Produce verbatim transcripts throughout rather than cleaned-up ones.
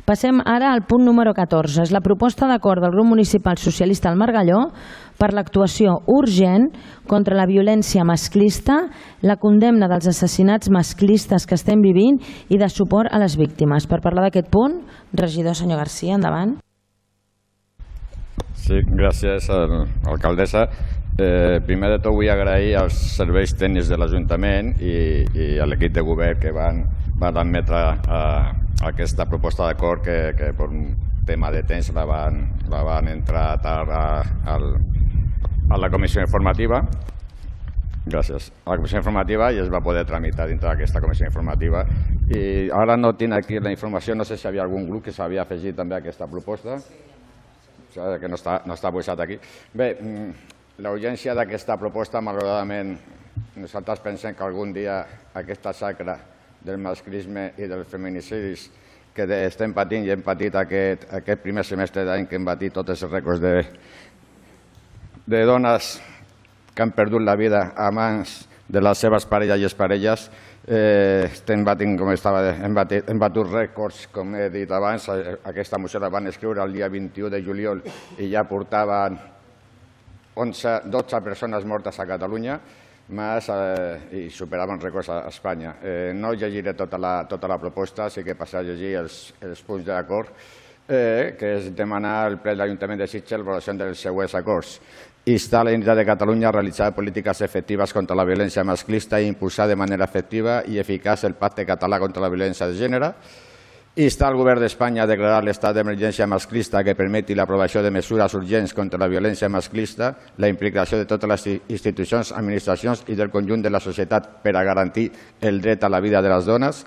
Passem ara al punt número catorze. És la proposta d'acord del grup municipal socialista al Margalló per l'actuació urgent contra la violència masclista, la condemna dels assassinats masclistes que estem vivint i de suport a les víctimes. Per parlar d'aquest punt, regidor senyor Garcia, endavant. Sí, gràcies, alcaldessa. Eh, primer de tot vull agrair als serveis tècnics de l'Ajuntament i, i a l'equip de govern que van, van admetre eh, aquesta proposta d'acord que, que per un tema de temps la van, la van entrar tard a, a, a la comissió informativa. Gràcies. A la comissió informativa i es va poder tramitar dintre d'aquesta comissió informativa. I ara no tinc aquí la informació, no sé si hi havia algun grup que s'havia afegit també a aquesta proposta. Que no està, no està posat aquí. Bé, la urgència d'aquesta proposta, malauradament, nosaltres pensem que algun dia aquesta xacra del masclisme i dels feminicidis que estem patint i hem patit aquest, aquest primer semestre d'any que hem batit tots els rècords de, de dones que han perdut la vida a mans de les seves parelles i exparelles, eh, estem batint, com estava, hem, batit, hem batut rècords, com he dit abans. Aquesta moció la van escriure el dia vint-i-u de juliol i ja portaven onze, dotze persones mortes a Catalunya més, eh, i superaven rècords a Espanya. Eh, no llegiré tota la, tota la proposta, sí que passaré a llegir els, els punts d'acord, eh, que és demanar al ple de l'Ajuntament de Sitges l'avaluació dels següents acords. Instar la Generalitat de Catalunya a realitzar polítiques efectives contra la violència masclista i impulsar de manera efectiva i eficaç el Pacte Català contra la Violència de Gènere. Instar al Govern d'Espanya a declarar l'estat d'emergència masclista que permeti l'aprovació de mesures urgents contra la violència masclista, la implicació de totes les institucions, administracions i del conjunt de la societat per a garantir el dret a la vida de les dones.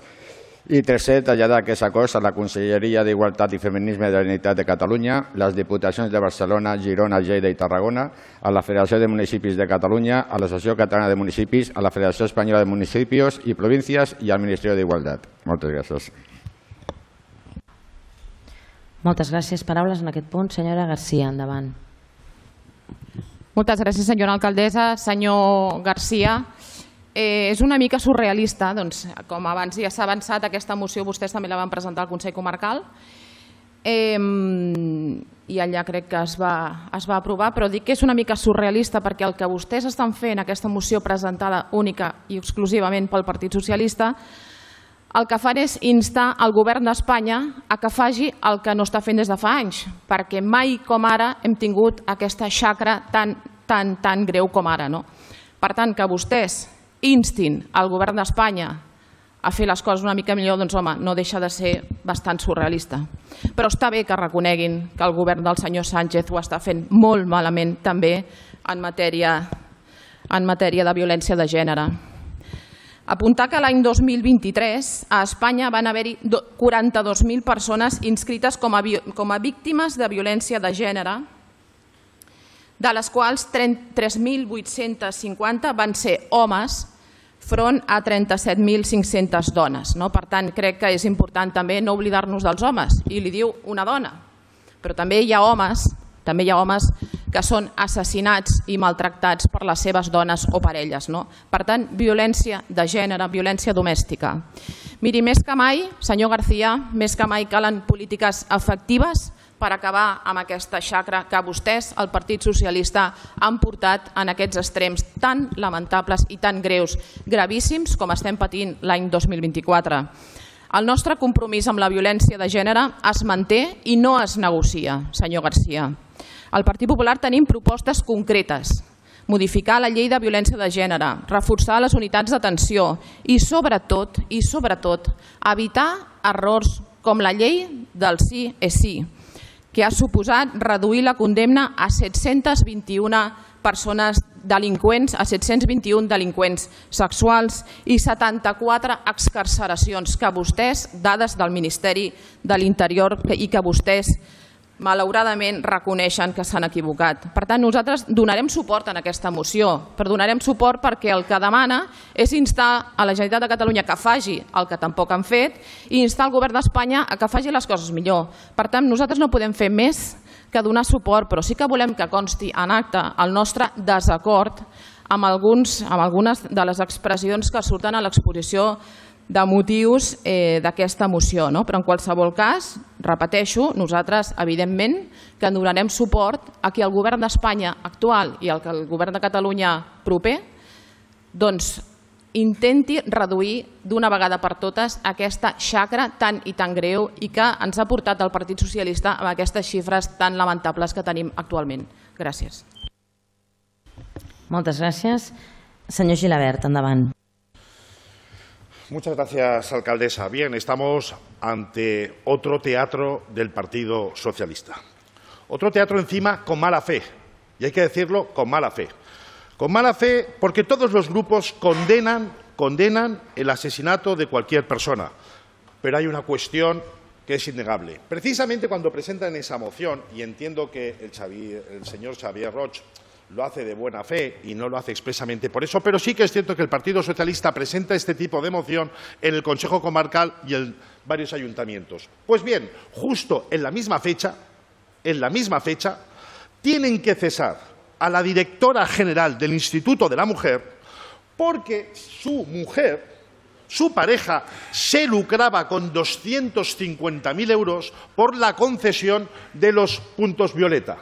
I tercer, traslladar aquests acords a la Conselleria d'Igualtat i Feminisme de la Generalitat de Catalunya, les Diputacions de Barcelona, Girona, Lleida i Tarragona, a la Federació de Municipis de Catalunya, a l'Associació Catalana de Municipis, a la Federació Espanyola de Municipis i Províncies i al Ministeri d'Igualtat. Moltes gràcies. Moltes gràcies. Paraules en aquest punt. Senyora Garcia, endavant. Moltes gràcies, senyora alcaldessa. Senyor Garcia, Eh, és una mica surrealista, doncs, com abans ja s'ha avançat, aquesta moció vostès també la van presentar al Consell Comarcal eh, i allà crec que es va, es va aprovar, però dic que és una mica surrealista perquè el que vostès estan fent, aquesta moció presentada única i exclusivament pel Partit Socialista, el que fan és instar el govern d'Espanya a que faci el que no està fent des de fa anys, perquè mai com ara hem tingut aquesta xacra tan, tan, tan greu com ara, no? Per tant, que vostès instin al govern d'Espanya a fer les coses una mica millor, doncs home, no deixa de ser bastant surrealista. Però està bé que reconeguin que el govern del senyor Sánchez ho està fent molt malament també en matèria, en matèria de violència de gènere. Apuntar que l'any dos mil vint-i-tres a Espanya van haver-hi quaranta-dos mil persones inscrites com a, com a víctimes de violència de gènere, de les quals tres mil vuit-cents cinquanta van ser homes front a trenta-set mil cinc-centes dones. Per tant, crec que és important també no oblidar-nos dels homes, i li diu una dona, però també hi ha homes també hi ha homes que són assassinats i maltractats per les seves dones o parelles. Per tant, violència de gènere, violència domèstica. Miri, més que mai, senyor García, més que mai calen polítiques efectives per acabar amb aquesta xacra que vostès, el Partit Socialista, han portat en aquests extrems tan lamentables i tan greus, gravíssims, com estem patint l'any dos mil vint-i-quatre. El nostre compromís amb la violència de gènere es manté i no es negocia, senyor García. Al Partit Popular tenim propostes concretes. Modificar la llei de violència de gènere, reforçar les unitats d'atenció i, sobretot, i sobretot, evitar errors com la llei del sí és sí, que ha suposat reduir la condemna a set-cents vint-i-una persones delinqüents, a set-cents vint-i-un delinqüents sexuals i setanta-quatre excarceracions que vostès, dades del Ministeri de l'Interior, i que vostès malauradament reconeixen que s'han equivocat. Per tant, nosaltres donarem suport en aquesta moció, però donarem suport perquè el que demana és instar a la Generalitat de Catalunya que faci el que tampoc han fet i instar el govern d'Espanya a que faci les coses millor. Per tant, nosaltres no podem fer més que donar suport, però sí que volem que consti en acte el nostre desacord amb algunes de les expressions que surten a l'exposició de motius d'aquesta moció. Però en qualsevol cas, repeteixo, nosaltres evidentment que donarem suport a que el govern d'Espanya actual i el govern de Catalunya proper doncs intenti reduir d'una vegada per totes aquesta xacra tan i tan greu i que ens ha portat el Partit Socialista amb aquestes xifres tan lamentables que tenim actualment. Gràcies. Moltes gràcies. Senyor Gilabert, endavant. Muchas gracias, alcaldesa. Bien, estamos ante otro teatro del Partido Socialista. Otro teatro encima con mala fe, y hay que decirlo con mala fe. Con mala fe porque todos los grupos condenan, condenan el asesinato de cualquier persona. Pero hay una cuestión que es innegable. Precisamente cuando presentan esa moción, y entiendo que el, Xavier, el señor Xavier Roig lo hace de buena fe y no lo hace expresamente por eso, pero sí que es cierto que el Partido Socialista presenta este tipo de moción en el Consejo Comarcal y en varios ayuntamientos. Pues bien, justo en la misma fecha, en la misma fecha, tienen que cesar a la directora general del Instituto de la Mujer porque su mujer, su pareja, se lucraba con doscientos cincuenta mil euros por la concesión de los puntos violeta.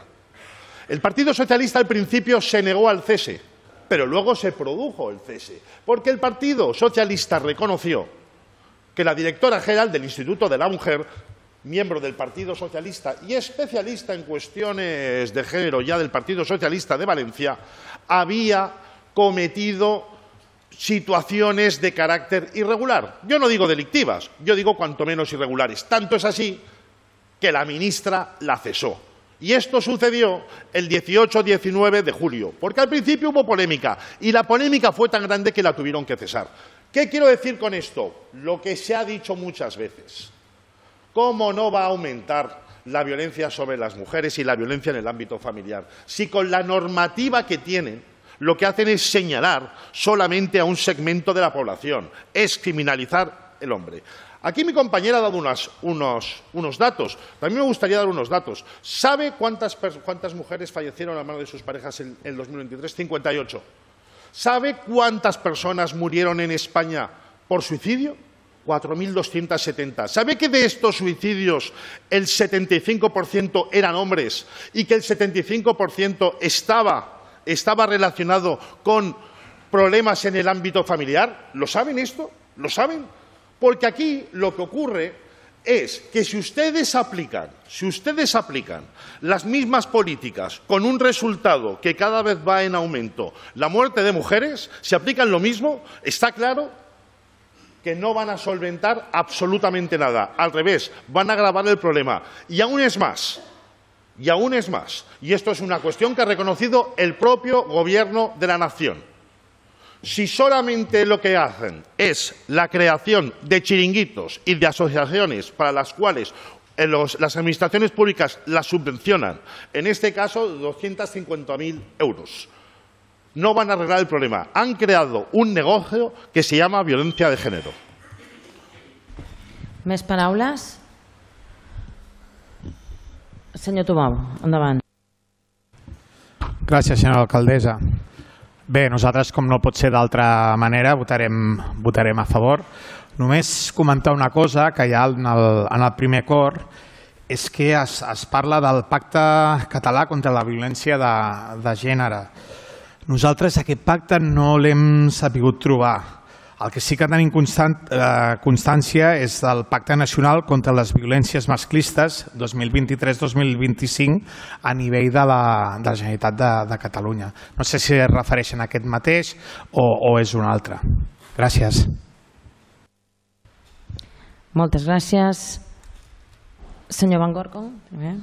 El Partido Socialista al principio se negó al cese, pero luego se produjo el cese, porque el Partido Socialista reconoció que la directora general del Instituto de la Mujer, miembro del Partido Socialista y especialista en cuestiones de género ya del Partido Socialista de Valencia, había cometido situaciones de carácter irregular. Yo no digo delictivas, yo digo cuanto menos irregulares. Tanto es así que la ministra la cesó. Y esto sucedió el dieciocho diecinueve de julio, porque al principio hubo polémica y la polémica fue tan grande que la tuvieron que cesar. ¿Qué quiero decir con esto? Lo que se ha dicho muchas veces. ¿Cómo no va a aumentar la violencia sobre las mujeres y la violencia en el ámbito familiar? Si con la normativa que tienen lo que hacen es señalar solamente a un segmento de la población, es criminalizar el hombre. Aquí mi compañera ha dado unas, unos, unos datos. También me gustaría dar unos datos. ¿Sabe cuántas, cuántas mujeres fallecieron a manos de sus parejas en el dos mil veintitrés? cincuenta y ocho. ¿Sabe cuántas personas murieron en España por suicidio? cuatro mil doscientos setenta. ¿Sabe que de estos suicidios el setenta y cinco por ciento eran hombres y que el setenta y cinco por ciento estaba, estaba relacionado con problemas en el ámbito familiar? ¿Lo saben esto? ¿Lo saben? Porque aquí lo que ocurre es que si ustedes aplican, si ustedes aplican las mismas políticas con un resultado que cada vez va en aumento, la muerte de mujeres, si aplican lo mismo, está claro que no van a solventar absolutamente nada. Al revés, van a agravar el problema. Y aún es más, y aún es más, y esto es una cuestión que ha reconocido el propio Gobierno de la Nación. Si solamente lo que hacen es la creación de chiringuitos y de asociaciones para las cuales los, las administraciones públicas las subvencionan, en este caso doscientos cincuenta mil euros, no van a arreglar el problema. Han creado un negocio que se llama violencia de género. Més paraules? Senyor Tomau, endavant. Gràcies, senyora alcaldessa. Bé, nosaltres, com no pot ser d'altra manera, votarem, votarem a favor. Només comentar una cosa que hi ha en el, en el primer acord, és que es, es parla del Pacte Català contra la Violència de, de Gènere. Nosaltres aquest pacte no l'hem sabut trobar. El que sí que tenim constant, eh, constància és del Pacte Nacional contra les Violències Masclistes dos mil vint-i-tres dos mil vint-i-cinc a nivell de la, de la Generalitat de, de Catalunya. No sé si es refereixen a aquest mateix o, o és un altre. Gràcies. Moltes gràcies. Senyor Van Gorko, primer.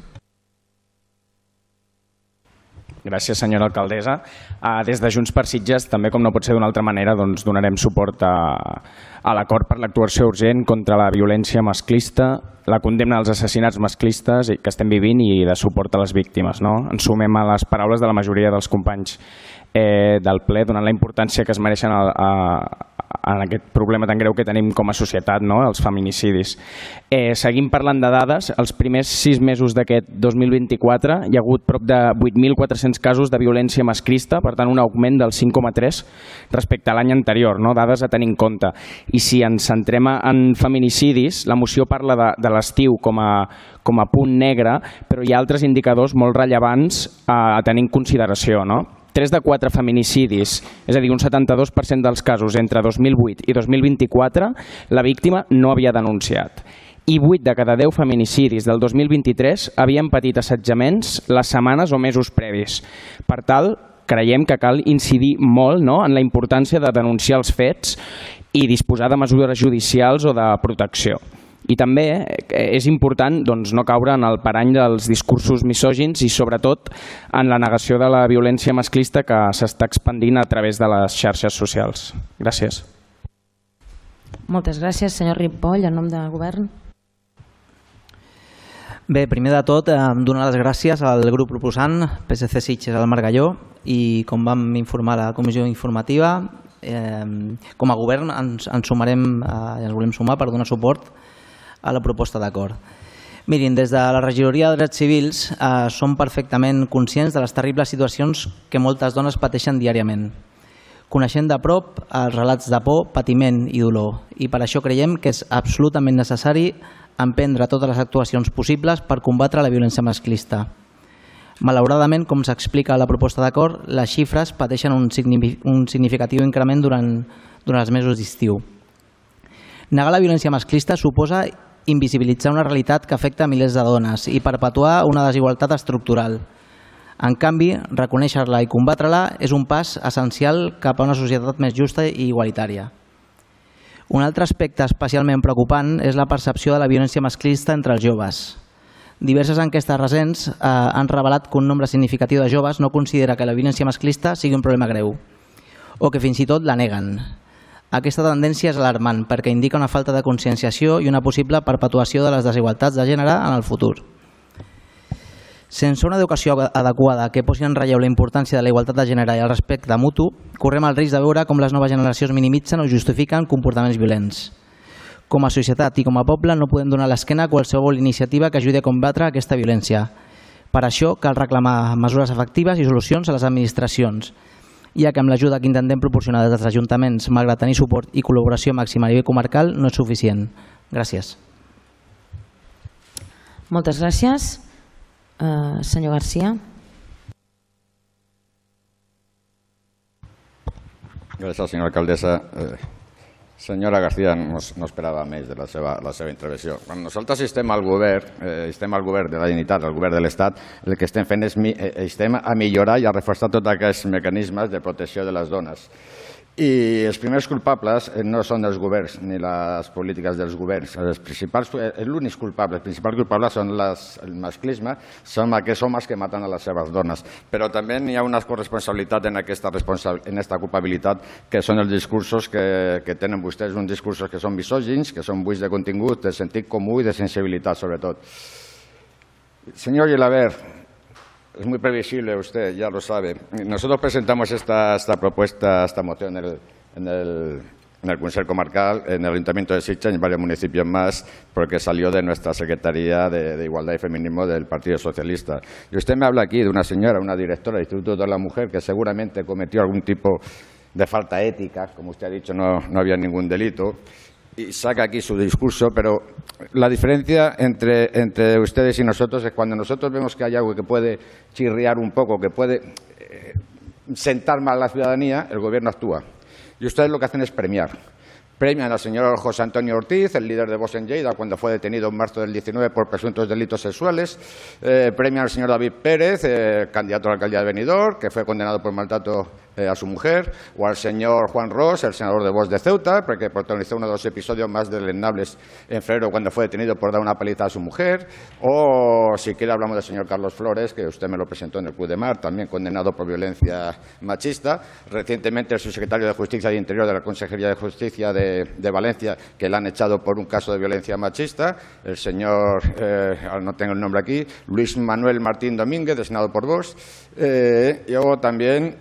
Gràcies, senyora alcaldessa. Des de Junts per Sitges, també com no pot ser d'una altra manera, doncs donarem suport a, a l'acord per l'actuació urgent contra la violència masclista, la condemna als assassinats masclistes que estem vivint i de suport a les víctimes. No? Ens sumem a les paraules de la majoria dels companys eh, del ple, donant la importància que es mereixen a, a, en aquest problema tan greu que tenim com a societat, no? Els feminicidis. Eh, seguim parlant de dades. Els primers sis mesos d'aquest dos mil vint-i-quatre hi ha hagut prop de vuit mil quatre-cents quatre-cents casos de violència masclista, per tant un augment del cinc coma tres respecte a l'any anterior, no? Dades a tenir en compte. I si ens centrem en feminicidis, la moció parla de, de l'estiu com a, com a punt negre, però hi ha altres indicadors molt rellevants a, a tenir en consideració, no? tres de quatre feminicidis, és a dir, un setanta-dos per cent dels casos entre dos mil vuit i dos mil vint-i-quatre, la víctima no havia denunciat. I vuit de cada deu feminicidis del dos mil vint-i-tres havien patit assetjaments les setmanes o mesos previs. Per tal, creiem que cal incidir molt, no?, en la importància de denunciar els fets i disposar de mesures judicials o de protecció. I també és important doncs, no caure en el parany dels discursos misògins i sobretot en la negació de la violència masclista que s'està expandint a través de les xarxes socials. Gràcies. Moltes gràcies, senyor Ripoll, en nom del govern. Bé, primer de tot, donar les gràcies al grup proposant P S C Sitges al Margalló i com vam informar a la comissió informativa, eh, com a govern ens, ens sumarem, eh, ens volem sumar per donar suport a la proposta d'acord. Mirin, des de la Regidoria de Drets Civils eh, som perfectament conscients de les terribles situacions que moltes dones pateixen diàriament. Coneixem de prop els relats de por, patiment i dolor i per això creiem que és absolutament necessari emprendre totes les actuacions possibles per combatre la violència masclista. Malauradament, com s'explica a la proposta d'acord, les xifres pateixen un, un significatiu increment durant, durant els mesos d'estiu. Negar la violència masclista suposa invisibilitzar una realitat que afecta milers de dones i perpetuar una desigualtat estructural. En canvi, reconèixer-la i combatre-la és un pas essencial cap a una societat més justa i igualitària. Un altre aspecte especialment preocupant és la percepció de la violència masclista entre els joves. Diverses enquestes recents eh, han revelat que un nombre significatiu de joves no considera que la violència masclista sigui un problema greu o que fins i tot la neguen. Aquesta tendència és alarmant perquè indica una falta de conscienciació i una possible perpetuació de les desigualtats de gènere en el futur. Sense una educació adequada que posi en relleu la importància de la igualtat de gènere i el respecte mutu, correm el risc de veure com les noves generacions minimitzen o justifiquen comportaments violents. Com a societat i com a poble no podem donar l'esquena a qualsevol iniciativa que ajudi a combatre aquesta violència. Per això cal reclamar mesures efectives i solucions a les administracions, ja que amb l'ajuda que intentem proporcionar des dels ajuntaments, malgrat tenir suport i col·laboració màxima a nivell comarcal, no és suficient. Gràcies. Moltes gràcies. Uh, senyor Garcia. Gràcies, senyora alcaldessa. Eh, senyora García, no, no esperava més de la seva, la seva intervenció. Quan nosaltres estem al govern, eh, estem al govern de la Generalitat, al govern de l'Estat, el que estem fent és mi, eh, estem a millorar i a reforçar tots aquests mecanismes de protecció de les dones. I els primers culpables no són els governs ni les polítiques dels governs. Els principals, l'únic culpable, els principals culpables són les, el masclisme, són aquests homes que maten a les seves dones. Però també hi ha una corresponsabilitat en aquesta, en aquesta culpabilitat, que són els discursos que, que tenen vostès, uns discursos que són misògins, que són buits de contingut, de sentit comú i de sensibilitat, sobretot. Senyor Gelabert, es muy previsible, usted ya lo sabe. Nosotros presentamos esta, esta propuesta, esta moción en el, en, el, en el Consejo Comarcal, en el Ayuntamiento de Sitges y en varios municipios más, porque salió de nuestra Secretaría de, de Igualdad y Feminismo del Partido Socialista. Y usted me habla aquí de una señora, una directora del Instituto de la Mujer, que seguramente cometió algún tipo de falta ética, como usted ha dicho, no, no había ningún delito, y saca aquí su discurso, pero la diferencia entre, entre ustedes y nosotros es cuando nosotros vemos que hay algo que puede chirriar un poco, que puede eh, sentar mal a la ciudadanía, el gobierno actúa. Y ustedes lo que hacen es premiar. Premian al señor José Antonio Ortiz, el líder de Vox en Lleida, cuando fue detenido en marzo del diecinueve por presuntos delitos sexuales. Eh, premian al señor David Pérez, eh, candidato a la alcaldía de Benidorm, que fue condenado por maltrato eh, a su mujer. O al señor Juan Ros, el senador de Vox de Ceuta, porque protagonizó uno de los episodios más deleznables en febrero cuando fue detenido por dar una paliza a su mujer. O, si quiere, hablamos del señor Carlos Flores, que usted me lo presentó en el Club de Mar, también condenado por violencia machista. Recientemente, el subsecretario de Justicia y Interior de la Consejería de Justicia de de Valencia, que le han echado por un caso de violencia machista, el señor, eh, no tengo el nombre aquí, Luis Manuel Martín Domínguez, designado por Vox. Eh, y luego también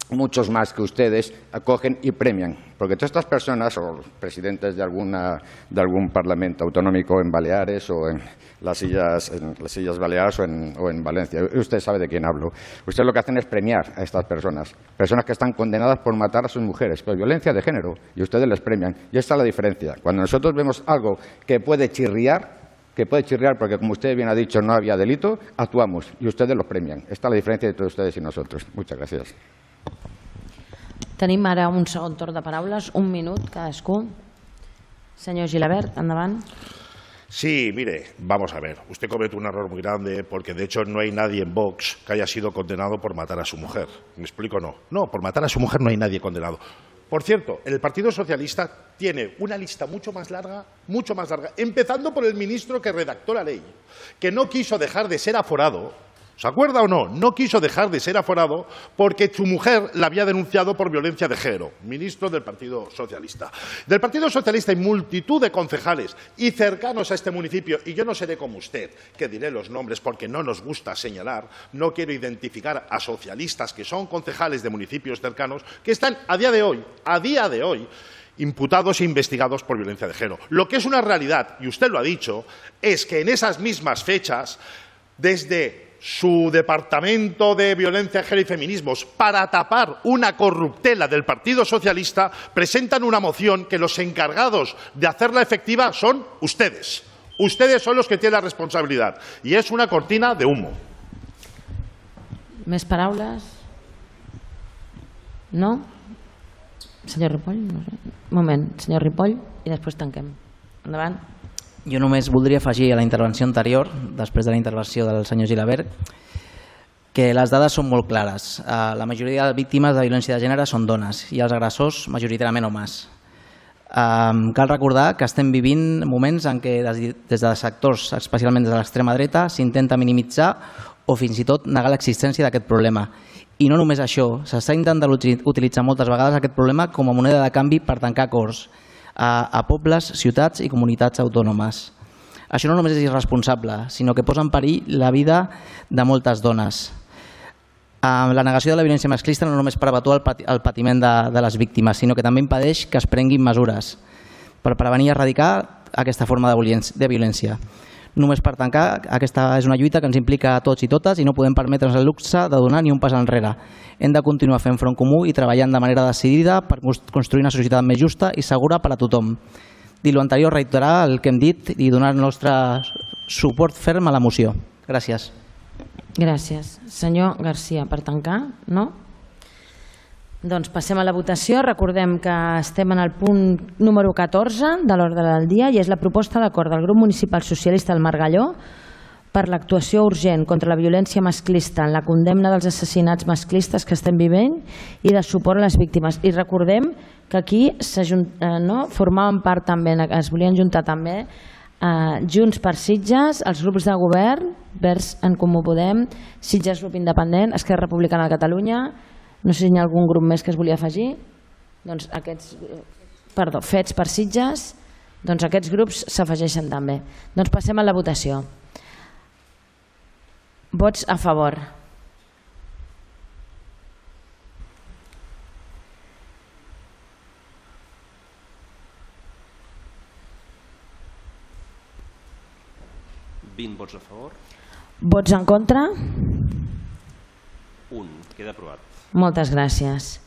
muchos más que ustedes acogen y premian. Porque todas estas personas, o presidentes de, alguna, de algún parlamento autonómico en Baleares o en las Islas, en las Islas Baleares o en, o en Valencia, usted sabe de quién hablo. Ustedes lo que hacen es premiar a estas personas, personas que están condenadas por matar a sus mujeres, por violencia de género, y ustedes les premian. Y esta es la diferencia. Cuando nosotros vemos algo que puede chirriar, que puede chirriar porque, como usted bien ha dicho, no había delito, actuamos y ustedes los premian. Esta es la diferencia entre ustedes y nosotros. Muchas gracias. Tenim ara un segon torn de paraules, un minut cadascú. Senyor Gilabert, endavant. Sí, mire, vamos a ver. Usted comete un error muy grande porque, de hecho, no hay nadie en Vox que haya sido condenado por matar a su mujer. ¿Me explico o no? No, por matar a su mujer no hay nadie condenado. Por cierto, el Partido Socialista tiene una lista mucho más larga, mucho más larga, empezando por el ministro que redactó la ley, que no quiso dejar de ser aforado. ¿Se acuerda o no? No quiso dejar de ser aforado porque su mujer la había denunciado por violencia de género. Ministro del Partido Socialista. Del Partido Socialista hay multitud de concejales y cercanos a este municipio, y yo no seré como usted, que diré los nombres porque no nos gusta señalar, no quiero identificar a socialistas que son concejales de municipios cercanos, que están a día de hoy, a día de hoy, imputados e investigados por violencia de género. Lo que es una realidad, y usted lo ha dicho, es que en esas mismas fechas, desde su departamento de violencia de género y feminismos, para tapar una corruptela del Partido Socialista, presentan una moción que los encargados de hacerla efectiva son ustedes. Ustedes son los que tienen la responsabilidad. Y es una cortina de humo. Més paraules? No? Senyor Ripoll? No sé. Un moment, senyor Ripoll, i després tanquem. Endavant. Jo només voldria afegir a la intervenció anterior, després de la intervenció del senyor Gilabert, que les dades són molt clares. La majoria de víctimes de violència de gènere són dones i els agressors majoritàriament homes. Cal recordar que estem vivint moments en què des de sectors, especialment des de l'extrema dreta, s'intenta minimitzar o fins i tot negar l'existència d'aquest problema. I no només això, s'està intentant utilitzar moltes vegades aquest problema com a moneda de canvi per tancar acords a pobles, ciutats i comunitats autònomes. Això no només és irresponsable, sinó que posa en perill la vida de moltes dones. La negació de la violència masclista no només perpetua el patiment de les víctimes, sinó que també impedeix que es prenguin mesures per prevenir i erradicar aquesta forma de violència. Només per tancar, aquesta és una lluita que ens implica a tots i totes i no podem permetre'ns el luxe de donar ni un pas enrere. Hem de continuar fent front comú i treballant de manera decidida per construir una societat més justa i segura per a tothom. Dit l'anterior, reiterar el que hem dit i donar el nostre suport ferm a la moció. Gràcies. Gràcies. Senyor Garcia, per tancar, no? Doncs passem a la votació. Recordem que estem en el punt número catorze de l'ordre del dia i és la proposta d'acord del grup municipal socialista del Margalló per l'actuació urgent contra la violència masclista en la condemna dels assassinats masclistes que estem vivint i de suport a les víctimes. I recordem que aquí formaven part també, es volien juntar també Junts per Sitges, els grups de govern, Verds en Comú Podem, Sitges Grup Independent, Esquerra Republicana de Catalunya. No sé si hi ha algun grup més que es volia afegir. Doncs aquests, perdó, Fets per Sitges, doncs aquests grups s'afegeixen també. Doncs passem a la votació. Vots a favor. vint vots a favor. Vots en contra? Un. Queda aprovat. Moltes gràcies.